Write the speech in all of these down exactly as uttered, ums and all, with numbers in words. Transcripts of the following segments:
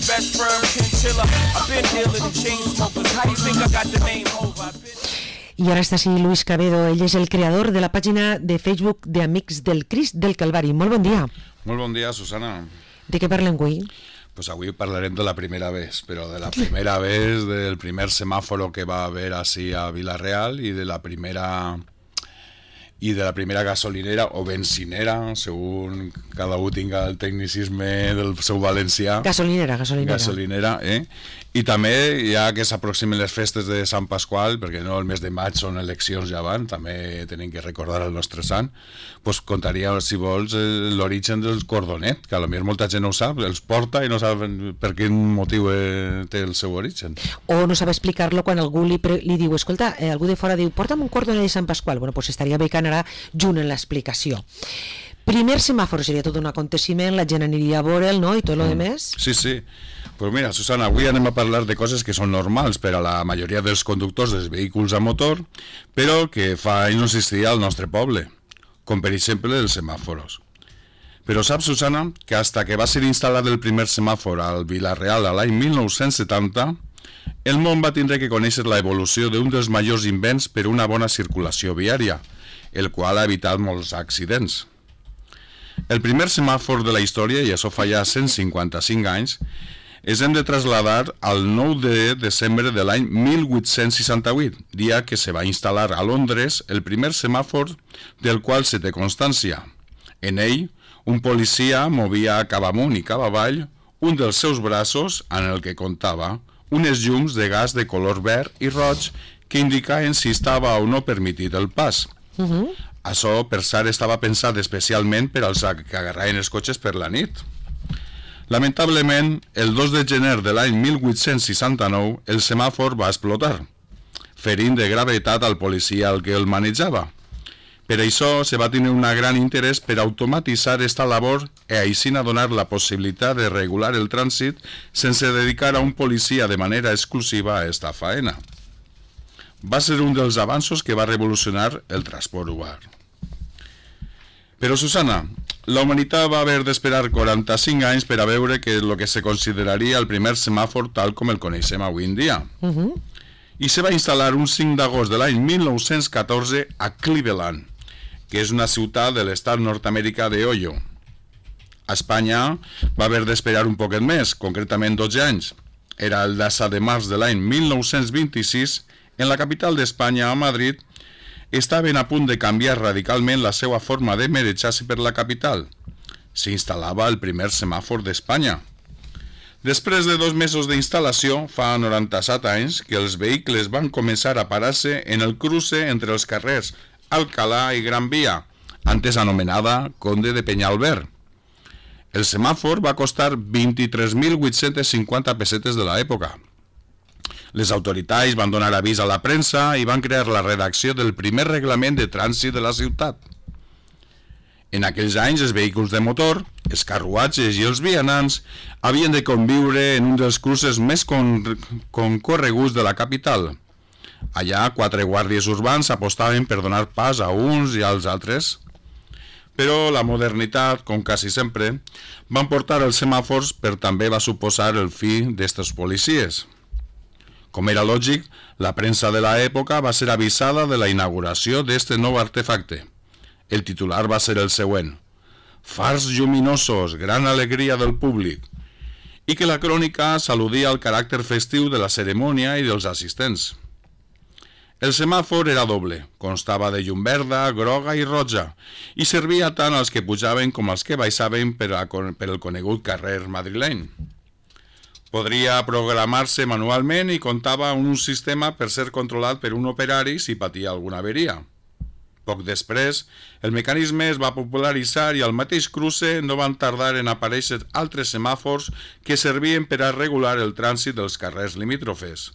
best firm chinchilla. I've been dealing with chain smokers. How you think I got the name over? I ara està així Luis Cabedo, ell és el creador de la pàgina de Facebook de Amics del Crist del Calvari. Molt bon dia. Molt bon dia, Susana. De què parlem avui? Pues avui parlarem de la primera vez, però de la primera vez, del primer semàforo que va haver així a Vila-real i de la primera i de la primera gasolinera o benzinera, según cada un tinga el tecnicisme del seu valencià. Gasolinera, gasolinera. Gasolinera, eh? I també, ja que s'aproximen les festes de Sant Pasqual, perquè no el mes de maig són eleccions ja van, també tenim que recordar el nostre sant, pues contaria, si vols, l'origen del cordonet, que a lo millor molta gent no ho sap, els porta i no saben per quin motiu eh, té el seu origen. O no sabe explicar-lo quan algú li, pre li diu, escolta, eh, algú de fora diu, porta'm un cordonet de Sant Pasqual. Bueno, pues estaria bé que anarà junt en l'explicació. Primer semàfor seria tot un aconteciment, la gent aniria a veure'l, no?, i tot lo demés. Sí, sí. Pues mira, Susana, avui anem a parlar de coses que són normals per a la majoria dels conductors dels vehicles a motor, però que fa anys no existia al nostre poble, com per exemple els semàforos. Però saps, Susana, que hasta que va ser instal·lat el primer semàfor al Vila-real a l'any mil nou-cents setanta, el món va tindre que conèixer la evolució d'un dels majors invents per una bona circulació viària, el qual ha evitat molts accidents. El primer semàfor de la història, i això fa ja cent cinquanta-cinc anys, ens hem de traslladar al nou de desembre de l'any mil vuit-cents seixanta-vuit, dia que se va instal·lar a Londres el primer semàfor del qual se té constància. En ell, un policia movia cap amunt i cap avall un dels seus braços en el que comptava unes llums de gas de color verd i roig que indicaven si estava o no permitit el pas. Uh-huh. Això, per cert, estava pensat especialment per als que agarraven els cotxes per la nit. Lamentablement, el dos de gener de l'any mil vuit-cents seixanta-nou, el semàfor va explotar, ferint de gravetat al policia al que el manejava. Per això se va tenir un gran interès per automatitzar esta labor i així donar la possibilitat de regular el trànsit sense dedicar a un policia de manera exclusiva a esta faena. Va ser un dels avanços que va revolucionar el transport urbà. Però, Susana, la humanitat va haver d'esperar quaranta-cinc anys per a veure que el que se consideraria el primer semàfor tal com el coneixem avui en dia. Uh-huh. I se va instal·lar un cinc d'agost de l'any mil nou-cents catorze a Cleveland, que és una ciutat de l'estat nord-americà d'Ohio. A Espanya va haver d'esperar un poquet més, concretament dotze anys. Era el disset de març de l'any mil nou-cents vint-i-sis, en la capital d'Espanya, a Madrid, estaven a punt de canviar radicalment la seva forma de manejar-se per la capital. S'instal·lava el primer semàfor d'Espanya. Després de dos mesos d'instal·lació, fa noranta-set anys, que els vehicles van començar a parar-se en el cruce entre els carrers Alcalá i Gran Via, antes anomenada Conde de Peñalver. El semàfor va costar vint-i-tres mil vuit-cents cinquanta pessetes de l'època. Les autoritats van donar avís a la premsa i van crear la redacció del primer reglament de trànsit de la ciutat. En aquells anys, els vehicles de motor, els carruatges i els vianants havien de conviure en un dels cruces més con concorreguts de la capital. Allà, quatre guàrdies urbans apostaven per donar pas a uns i als altres. Però la modernitat, com quasi sempre, van portar els semàfors, però també va suposar el fi d'estos policies. Com era lògic, la premsa de l'època va ser avisada de la inauguració d'aquest nou artefacte. El titular va ser el següent: fars lluminosos, gran alegria del públic, i que la crònica s'al·ludia al caràcter festiu de la cerimònia i dels assistents. El semàfor era doble, constava de llum verda, groga i roja, i servia tant als que pujaven com als que baixaven per, a, per el conegut carrer madrileny. Podria programar-se manualment i comptava amb un sistema per ser controlat per un operari si patia alguna averia. Poc després, el mecanisme es va popularitzar i al mateix cruce no van tardar en aparèixer altres semàfors que servien per a regular el trànsit dels carrers limítrofes.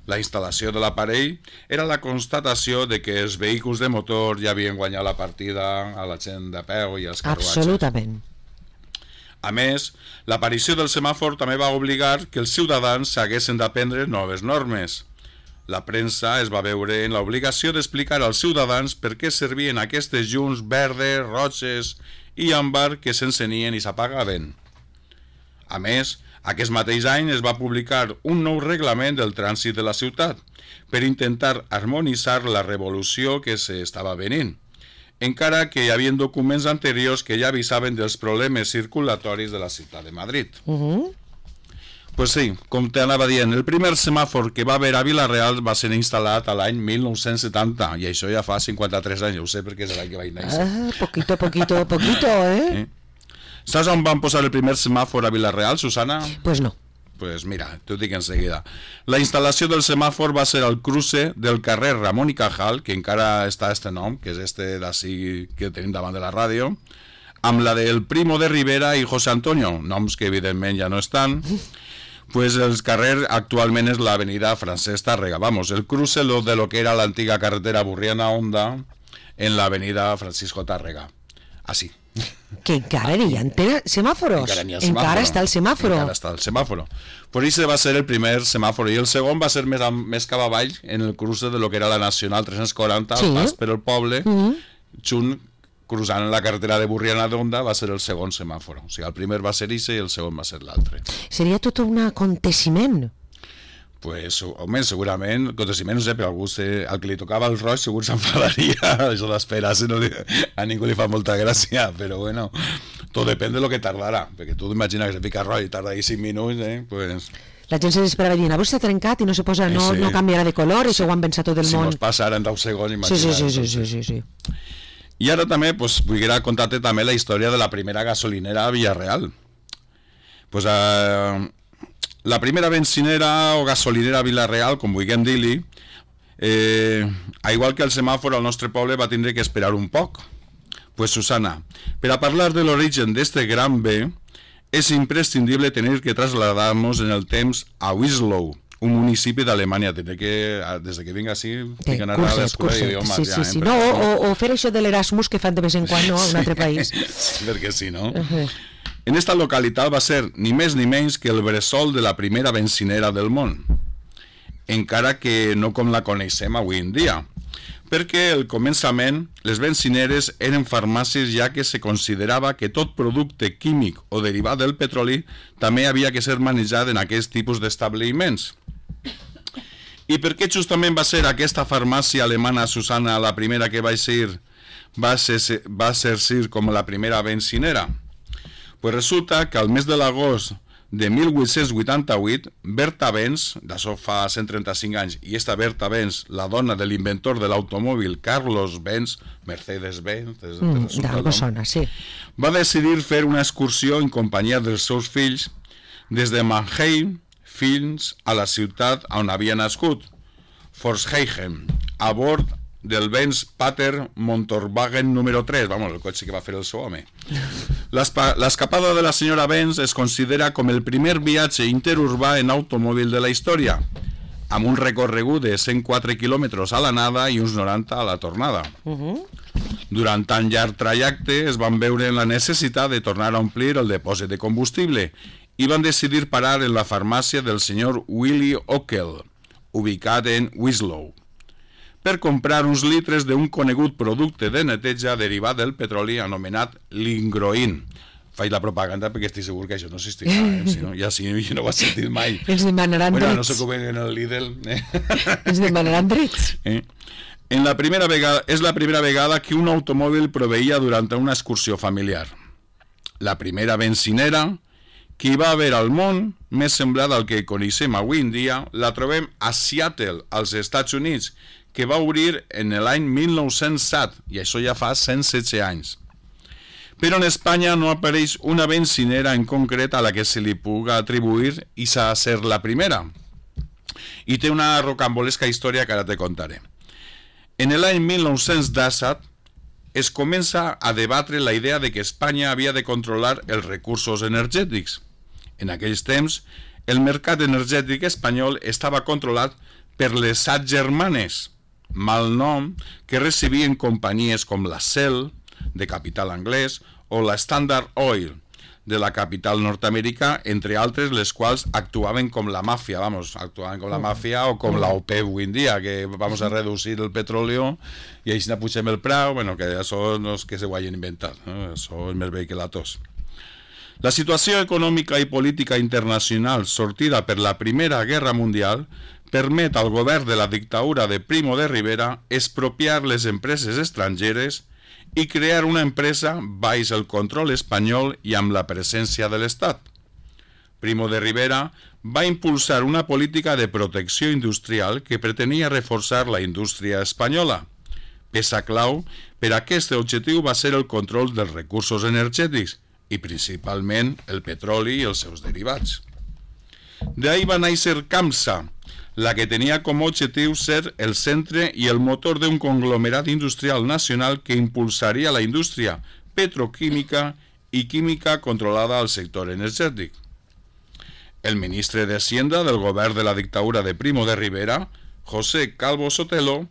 La instal·lació de l'aparell era la constatació de que els vehicles de motor ja havien guanyat la partida a la gent de peu i als carruatges. Absolutament. A més, l'aparició del semàfor també va obligar que els ciutadans s'haguessin d'aprendre noves normes. La premsa es va veure en l'obligació d'explicar als ciutadans per què servien aquestes llums verdes, roges i àmbar que s'encenien i s'apagaven. A més, Aquest mateix any es va publicar un nou reglament del trànsit de la ciutat per intentar harmonitzar la revolució que s'estava venint, encara que hi havia documents anteriors que ja avisaven dels problemes circulatoris de la ciutat de Madrid. Uh-huh. Pues sí, com t'anava dient, el primer semàfor que va haver a Vila-real va ser instal·lat a l'any mil nou-cents setanta, i això ja fa cinquanta-tres anys, ho sé perquè és l'any que vaig néixer. Ah, poquito, poquito, poquito, eh? eh? Saps on van posar el primer semàfor a Vila-real, Susana? Pues no. Pues mira, t'ho dic enseguida. La instal·lació del semàfor va ser al cruce del carrer Ramon i Cajal, que encara està este nom, que és este d'ací que tenim davant de la ràdio, amb la del Primo de Rivera i José Antonio, noms que evidentment ja no estan. Pues el carrer actualment és l'avenida Francesc Tàrrega, vamos, el cruce de lo que era l'antiga carretera Burriana-Onda en l'avenida Francisco Tàrrega. Així. Que encara hi ha semàforos. Encara n'hi ha semàforo. Encara està el semàforo. Encara està el semàforo. Per això va ser el primer semàforo, i el segon va ser més, més cap avall, en el cruce de lo que era la Nacional tres-cents quaranta, sí. Al pas per el poble, mm-hmm. junt, cruzant la carretera de Burriana d'Onda, va ser el segon semàforo. O sigui, el primer va ser ixe i el segon va ser l'altre. Seria tot un aconteciment. Pues, home, segurament, aconteciment, no sé, però algú se, al que li tocava el roig segur s'enfadaria, això d'esperar, no li, a ningú li fa molta gràcia, però bueno, tot depèn de lo que tardarà, perquè tu t'imagines que se fica roig i tarda ahí cinc minuts, eh, pues... La gent se desesperava dient, avui s'ha trencat i no se posa, no, sí. no canviarà de color, això ho han pensat tot el si món. Si mos passa ara en deu segons, imagina't. Sí, sí, sí, sí, sí, sí, sí. I ara també, pues, vull contar-te també la història de la primera gasolinera a Villarreal. Pues, eh... la primera benzinera o gasolinera a Vila-real, com vulguem dir-li, eh, igual que el semàfor al nostre poble va tindre que esperar un poc. Pues Susana, per a parlar de l'origen d'este gran bé, és imprescindible tenir que trasladar-nos en el temps a Wieslow, un municipi d'Alemanya. Tindré que, des que vinc així, tinc que anar a l'escola d'idiomes. Sí, sí, sí. No, o, o fer això de l'Erasmus que fan de vez en quan, no, a un altre país. Sí, perquè sí, no? Uh-huh. En esta localitat va ser ni més ni menys que el bressol de la primera benzinera del món, encara que no com la coneixem avui en dia, perquè al començament les benzineres eren farmàcies, ja que se considerava que tot producte químic o derivat del petroli també havia que ser manejat en aquest tipus d'establiments. I per què justament va ser aquesta farmàcia alemana, Susana, la primera que va ser, va ser, va ser com la primera benzinera? Pues resulta que al mes de l'agost de mil vuit-cents vuitanta-vuit, Berta Benz, d'això fa cent trenta-cinc anys, i esta Berta Benz, la dona de l'inventor de l'automòbil Carlos Benz, Mercedes-Benz, mm, d'algo sona, sí. va decidir fer una excursió en companyia dels seus fills des de Mannheim fins a la ciutat on havia nascut, Pforzheim, a bord del Benz Pater Motorwagen número tres, vamos, el cotxe que va fer el seu home. L'escapada de la senyora Benz es considera com el primer viatge interurbà en automòbil de la història, amb un recorregut de cent quatre quilòmetres a l'anada i uns noranta a la tornada. Uh-huh. Durant tan llarg trajecte es van veure la necessitat de tornar a omplir el depòsit de combustible i van decidir parar en la farmàcia del senyor Willy Ockel, ubicat en Wieslow, per comprar uns litres d'un conegut producte de neteja derivat del petroli anomenat Lingroin. Faig la propaganda perquè estic segur que això no existirà, eh? Si no, ja sí, jo no ho he sentit mai. Ens demanaran bueno, drets. No sé com en el Lidl. Eh? Ens demanaran drets. Eh? En la primera vegada, és la primera vegada que un automòbil proveïa durant una excursió familiar. La primera benzinera que hi va haver al món, més semblant al que coneixem avui en dia, la trobem a Seattle, als Estats Units, que va obrir en l'any mil nou-cents set, i això ja fa cent setze anys. Però en Espanya no apareix una benzinera en concret a la que se li puga atribuir i s'ha de ser la primera. I té una rocambolesca història que ara te contaré. En l'any mil nou-cents disset es comença a debatre la idea de que Espanya havia de controlar els recursos energètics. En aquells temps, el mercat energètic espanyol estava controlat per les Set Germanes, mal nom que recibien companyies com la Shell, de capital anglès, o la Standard Oil, de la capital nord-americà, entre altres, les quals actuaven com la màfia, vamos, actuaven com la màfia o com la O P E P avui en dia, que vamos a reducir el petróleo i així pugem el preu, bueno, que això no és que se ho hagin inventat, no? Això és més bé que la tos. La situació econòmica i política internacional sortida per la Primera Guerra Mundial permet al govern de la dictadura de Primo de Rivera expropiar les empreses estrangeres i crear una empresa baix el control espanyol i amb la presència de l'Estat. Primo de Rivera va impulsar una política de protecció industrial que pretenia reforçar la indústria espanyola. Peça clau per a aquest objectiu va ser el control dels recursos energètics i principalment el petroli i els seus derivats. D'ahí va néixer CAMSA, la que tenia com a objectiu ser el centre i el motor d'un conglomerat industrial nacional que impulsaria la indústria petroquímica i química controlada al sector energètic. El ministre d'Hacienda del govern de la dictadura de Primo de Rivera, José Calvo Sotelo,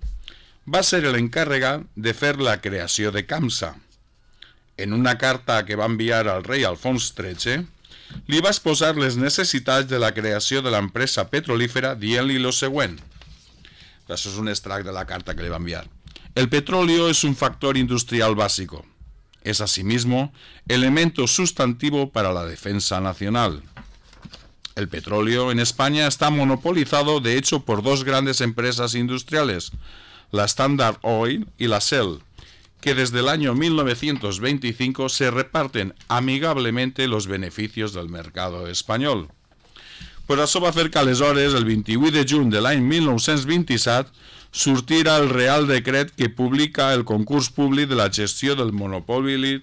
va ser l'encarregat de fer la creació de CAMSA. En una carta que va enviar al rei Alfons tretze, li va exposar les necessitats de la creació de l'empresa petrolífera dient-li lo següent. Això és un extracte de la carta que li va enviar. El petróleo es un factor industrial básico. Es asimismo elemento sustantivo para la defensa nacional. El petróleo en España está monopolizado de hecho por dos grandes empresas industriales, la Standard Oil y la Shell, que desde el año mil novecientos veinticinco se reparten amigablemente los beneficios del mercado español. Per això va fer que aleshores, el vint-i-vuit de juny de l'any mil nou-cents vint-i-set, sortirà el Real Decret que publica el concurs públic de la gestió del monopoli,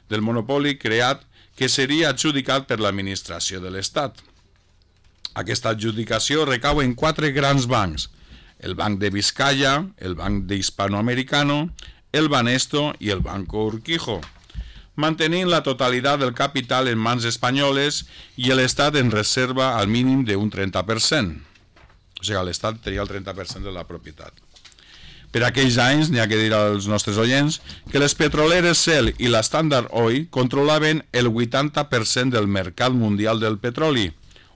del monopoli creat que seria adjudicat per l'administració de l'Estat. Aquesta adjudicació recau en quatre grans bancs, el Banc de Vizcaya, el Banc de Hispanoamericano, el Banesto i el Banco Urquijo, mantenint la totalitat del capital en mans espanyoles i l'Estat en reserva al mínim d'un trenta per cent. O sigui, l'Estat tenia el trenta per cent de la propietat. Per aquells anys, n'hi ha que dir als nostres oients, que les petroleres Shell i la Standard Oil controlaven el vuitanta per cent del mercat mundial del petroli,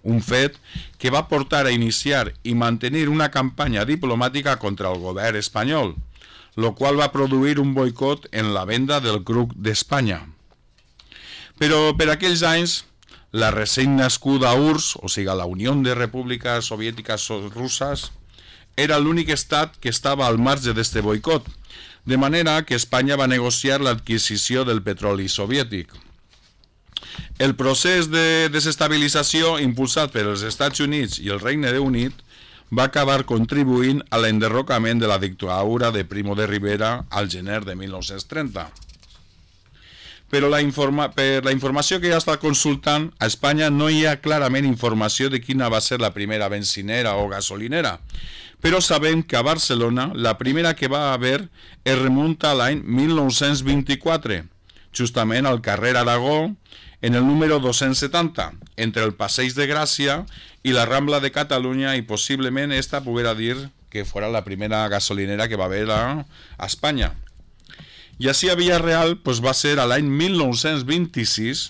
un fet que va portar a iniciar i mantenir una campanya diplomàtica contra el govern espanyol, lo cual va produir un boicot en la venda del grup d'Espanya. Però per aquells anys, la recent nascuda U R S S, o sigui, la Unió de Repúbliques Soviètiques Russes, era l'únic estat que estava al marge d'este boicot, de manera que Espanya va negociar l'adquisició del petroli soviètic. El procés de desestabilització impulsat per els Estats Units i el Regne Unit va acabar contribuint a l'enderrocament de la dictadura de Primo de Rivera al gener de mil nou-cents trenta. Però la informa, per la informació que ja està consultant, a Espanya no hi ha clarament informació de quina va ser la primera benzinera o gasolinera, però sabem que a Barcelona la primera que va haver es remunta a l'any mil nou-cents vint-i-quatre, justament al carrer Aragó, en el número dos-cents setanta, entre el Passeig de Gràcia i la Rambla de Catalunya, i possiblement esta poguera dir que fora la primera gasolinera que va haver a, a Espanya. I així a Villarreal pues, va ser a l'any mil nou-cents vint-i-sis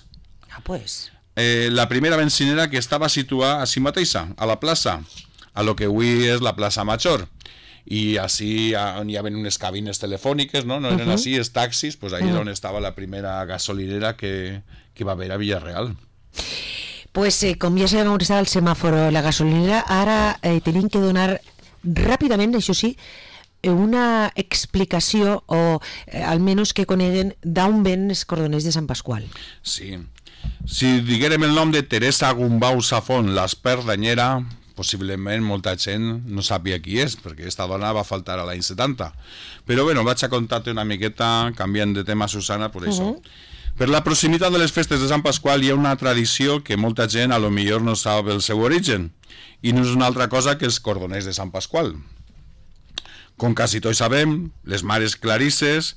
ah, pues. eh, la primera benzinera que estava situada així mateixa, a la plaça, a lo que avui és la plaça Major. I així on hi havia unes cabines telefòniques, no? No eren uh -huh. així, els taxis, pues ahí uh -huh. on estava la primera gasolinera que, que va haver a Villarreal. Pues eh, com ja sabem on estava el semàforo, la gasolinera, ara eh, tenim que donar ràpidament, això sí, una explicació o eh, almenys que coneguen d'on ven els cordoners de Sant Pasqual. Sí. Si diguérem el nom de Teresa Gumbau Safón, l'Esperdanyer, possiblement molta gent no sàpia qui és, perquè aquesta dona va faltar a l'any setanta. Però bueno, vaig a contar-te una miqueta, canviant de tema, Susana, per això. Uh -huh. Per la proximitat de les festes de Sant Pasqual hi ha una tradició que molta gent a lo millor no sap el seu origen, i no és una altra cosa que els cordoners de Sant Pasqual. Com quasi tots sabem, les mares clarisses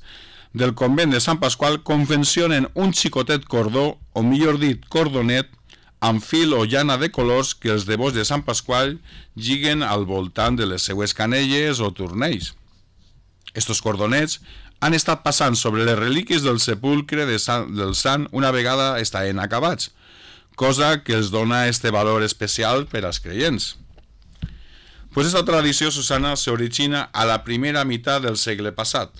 del convent de Sant Pasqual confeccionen un xicotet cordó, o millor dit, cordonet, amb fil o llana de colors que els devots de Sant Pasqual lliguen al voltant de les seues canelles o turnells. Estos cordonets han estat passant sobre les relíquies del sepulcre de Sant, del sant una vegada estaven acabats, cosa que els dona este valor especial per als creients. Pues esta tradició, Susana, s'origina a la primera meitat del segle passat,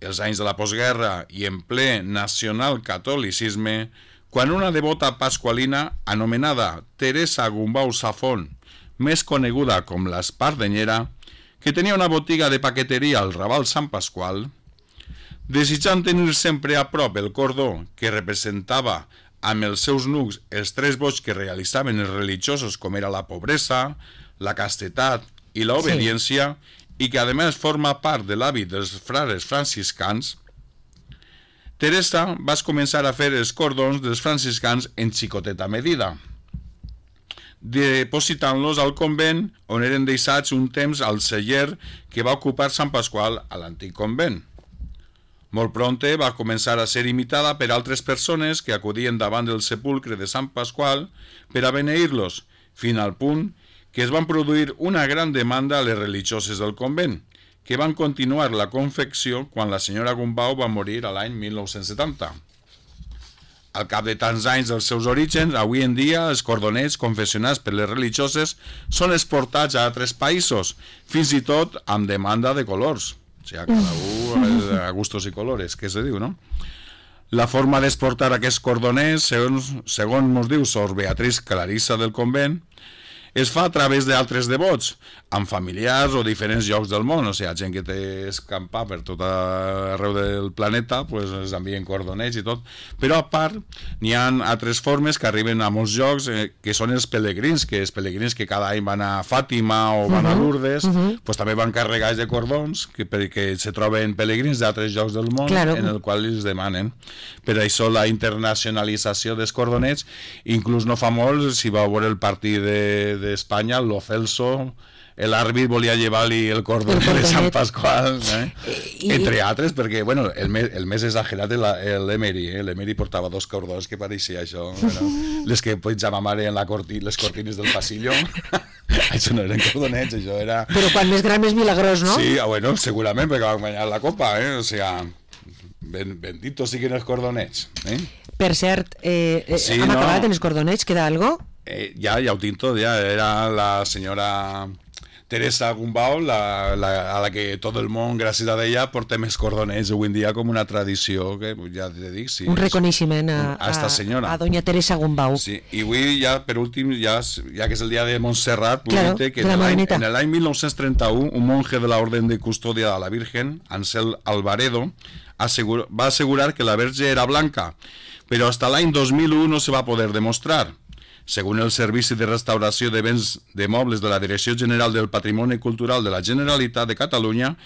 els anys de la postguerra i en ple nacional catolicisme, quan una devota pasqualina anomenada Teresa Gumbau Safón, més coneguda com l'Espardenyera, que tenia una botiga de paqueteria al Raval Sant Pasqual, desitjant tenir sempre a prop el cordó que representava amb els seus nucs els tres boigs que realitzaven els religiosos, com era la pobresa, la castetat i l'obediència, sí. i que a més forma part de l'hàbit dels frares franciscans, Teresa va començar a fer els cordons dels franciscans en xicoteta medida, depositant-los al convent on eren deixats un temps al celler que va ocupar Sant Pasqual a l'antic convent. Molt prompte va començar a ser imitada per altres persones que acudien davant del sepulcre de Sant Pasqual per a beneir-los, fins al punt que es van produir una gran demanda a les religioses del convent, que van continuar la confecció quan la senyora Gumbau va morir a l'any mil nou-cents setanta. Al cap de tants anys dels seus orígens, avui en dia els cordonets confeccionats per les religioses són exportats a altres països, fins i tot amb demanda de colors. O sigui, cada un a gustos i colores, que se diu, no? La forma d'exportar aquests cordonets, segons, segons mos diu Sor Beatriz Clarissa del convent, es fa a través d'altres devots, amb familiars o diferents llocs del món. O sigui, gent que té escampar per tot arreu del planeta, pues, es envien cordonets i tot. Però a part, n'hi ha altres formes que arriben a molts llocs, eh, que són els pelegrins, que els pelegrins que cada any van a Fàtima o van uh -huh. a Lourdes, uh -huh. pues, també van carregats de cordons, que, perquè se troben pelegrins d'altres llocs del món, claro. en el qual els demanen. Per això la internacionalització dels cordonets, inclús no fa molt, si va veure el partit de, de d'Espanya, Lo Celso, l'àrbit volia llevar-li el cordonet de Sant Pasqual, eh? I, entre altres, perquè bueno, el, més, el més exagerat és l'Emery, eh? l'Emery portava dos cordons que pareixia això, bueno, les que penjava mare en la corti, les cortines del passillo. Això no eren cordonets, això era... Però quan més gran més milagrós, no? Sí, bueno, segurament, perquè van guanyar la copa, eh? O sigui, ben, benditos siguin els cordonets, eh? Per cert, eh, sí, hem no. acabat en els cordonets, queda algo? Eh, ja, ja ho tinc tot, ja era la senyora Teresa Gumbau, la, la, a la que tot el món, gràcies a ella, portem els cordonets avui en dia com una tradició, que ja te dic, sí. Un reconeixement a, a, esta senyora. a, a doña Teresa Gumbau. Sí, i avui ja, per últim, ja, ja que és el dia de Montserrat, claro, que en l'any mil nou-cents trenta-u, un monje de la Orden de Custòdia de la Virgen, Ansel Alvaredo, assegur, va assegurar que la Verge era blanca, però hasta l'any dos mil u no se va poder demostrar. Según el Servici de Restauració de Béns de Mobles de la Direcció General del Patrimoni Cultural de la Generalitat de Catalunya,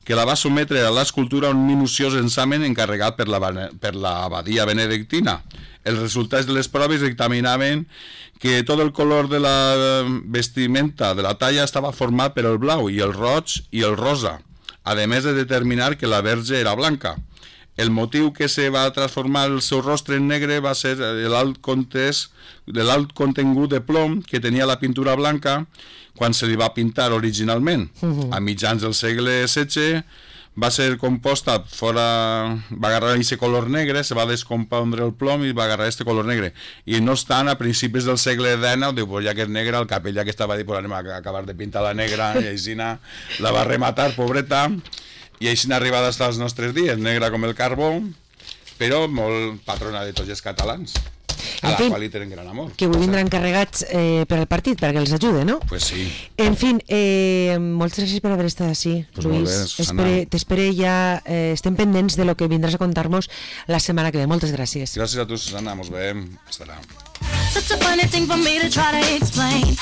que la va sometre a l'escultura a un minuciós examen encarregat per la, per la abadia benedictina. Els resultats de les proves dictaminaven que tot el color de la vestimenta de la talla estava format per el blau i el roig i el rosa, a més de determinar que la Verge era blanca. El motiu que se va transformar el seu rostre en negre va ser l'alt contingut de plom que tenia la pintura blanca quan se li va pintar originalment. Uh-huh. A mitjans del segle setze va ser composta fora, va agarrar aquest color negre, se va descompondre el plom i va agarrar aquest color negre. I no obstant, a principis del segle dinou, diu, pues ja que és negra, el capellà que estava dit, pues anem a acabar de pintar la negra, i així la va rematar, pobreta. I així n'ha arribat fins als nostres dies, negra com el carbó, però molt patrona de tots els catalans, a la fin, qual hi tenen gran amor. Que avui vindran carregats eh, per al partit, perquè els ajude, no? Pues sí. En fin, eh, moltes gràcies per haver estat així, pues Luis. T'espere ja, eh, estem pendents de lo que vindràs a contar-nos la setmana que ve. Moltes gràcies. Gràcies a tu, Susana, mos veiem. Hasta ara. Such a funny thing for me to try to explain.